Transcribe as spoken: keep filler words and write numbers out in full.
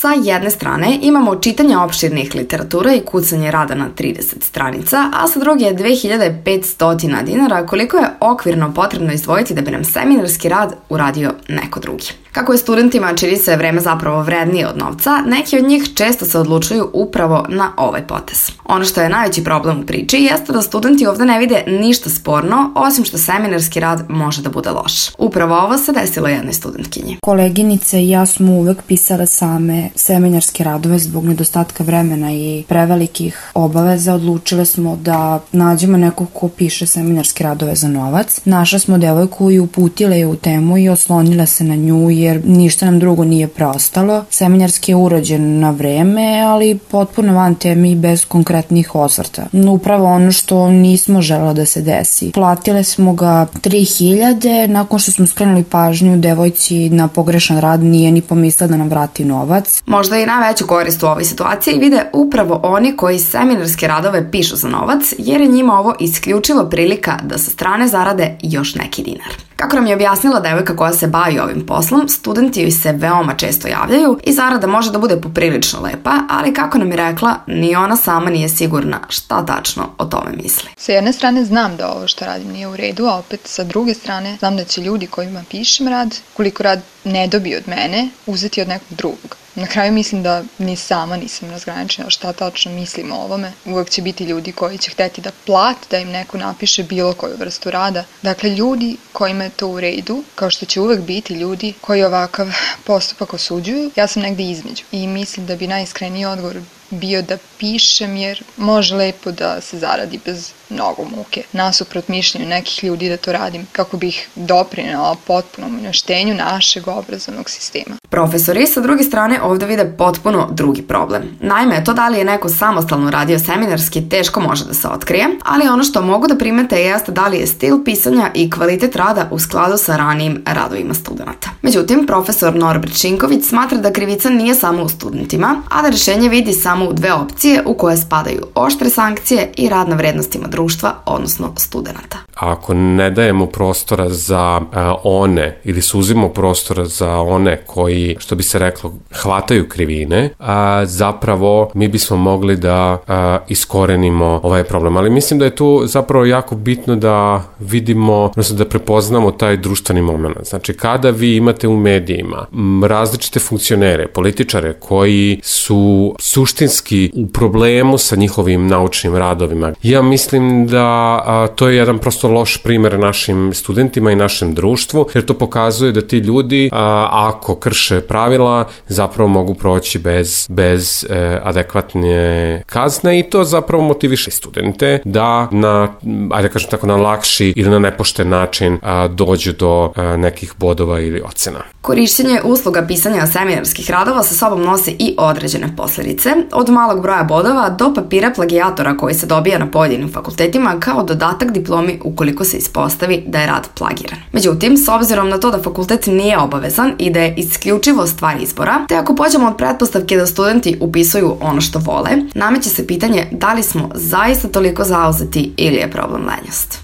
Sa jedne strane imamo čitanje opširnih literatura i kucanje rada na trideset stranica, a sa druge je dve hiljade petsto dinara koliko je okvirno potrebno izdvojiti da bi nam seminarski rad uradio neko drugi. Kako je studentima čini se vreme zapravo vrednije od novca, neki od njih često se odlučuju upravo na ovaj potez. Ono što je najveći problem u priči jeste da studenti ovde ne vide ništa sporno, osim što seminarski rad može da bude loš. Upravo ovo se desilo jednoj studentkinji. Koleginice i ja smo uvek pisale same seminarske radove zbog nedostatka vremena i prevelikih obaveza. Odlučile smo da nađemo nekog ko piše seminarske radove za novac. Našla smo devojku i uputile je u temu i oslonile se na nju jer ništa nam drugo nije preostalo. Seminarski je urađen na vreme, ali potpuno van teme i bez konkretnih osvrta. Upravo ono što nismo želeli da se desi. Platile smo ga tri hiljade, nakon što smo skrenuli pažnju devojci na pogrešan rad nije ni pomislila da nam vrati novac. Možda i najveću korist u ovoj situaciji vide upravo oni koji seminarske radove pišu za novac, jer je njima ovo isključivo prilika da sa strane zarade još neki dinar. Kako nam je objasnila devojka koja se bavi ovim poslom, studenti joj se veoma često javljaju i zarada može da bude poprilično lepa, ali kako nam je rekla, ni ona sama nije sigurna šta tačno o tome misli. Sa jedne strane znam da ovo što radim nije u redu, a opet sa druge strane znam da će ljudi kojima pišem rad, koliko rad ne dobije od mene, uzeti od nekog drugog. Na kraju mislim da ni sama nisam razgraničena šta tačno mislim o ovome. Uvek će biti ljudi koji će hteti da plate da im neko napiše bilo koju vrstu rada. Dakle, ljudi kojima je to u redu, kao što će uvek biti ljudi koji ovakav postupak osuđuju, ja sam negde između. I mislim da bi najiskreniji odgovor bio da pišem jer može lepo da se zaradi bez mnogo muke. Nasuprot mišljenju nekih ljudi da to radim kako bih doprinela potpunom uništenju našeg obrazovnog sistema. Profesori sa druge strane ovde vide potpuno drugi problem. Naime, to da li je neko samostalno radio seminarski teško može da se otkrije, ali ono što mogu da primete jeste da li je stil pisanja i kvalitet rada u skladu sa ranijim radovima studenta. Međutim, profesor Norbert Šinković smatra da krivica nije samo u studentima, a da rešenje vidi samo u dve opcije u koje spadaju oštre sankcije i rad na vrednostima društva, odnosno studenta. Ako ne dajemo prostora za a, one ili suzimo prostora za one koji, što bi se reklo, hvataju krivine, a, zapravo mi bismo mogli da a, iskorenimo ovaj problem. Ali mislim da je tu zapravo jako bitno da vidimo, odnosno da prepoznamo taj društveni moment. Znači, kada vi imate u medijima različite funkcionere, političare koji su suštinski u problemu sa njihovim naučnim radovima, ja mislim da a, to je jedan prosto loš primer našim studentima i našem društvu, jer to pokazuje da ti ljudi, a, ako krše pravila, zapravo mogu proći bez, bez e, adekvatne kazne i to zapravo motiviše studente da na, ajde kažem tako, na lakši ili na nepošten način a, dođu do a, nekih bodova ili ocena. Korišćenje usluga pisanja seminarskih radova sa sobom nosi i određene posledice, od malog broja bodova do papira plagijatora koji se dobija na pojedinim fakultetima kao dodatak diplomi ukoliko se ispostavi da je rad plagiran. Međutim, s obzirom na to da fakultet nije obavezan i da je isključivo stvar izbora, te ako pođemo od pretpostavke da studenti upisuju ono što vole, nameće se pitanje da li smo zaista toliko zauzeti ili je problem lenjost.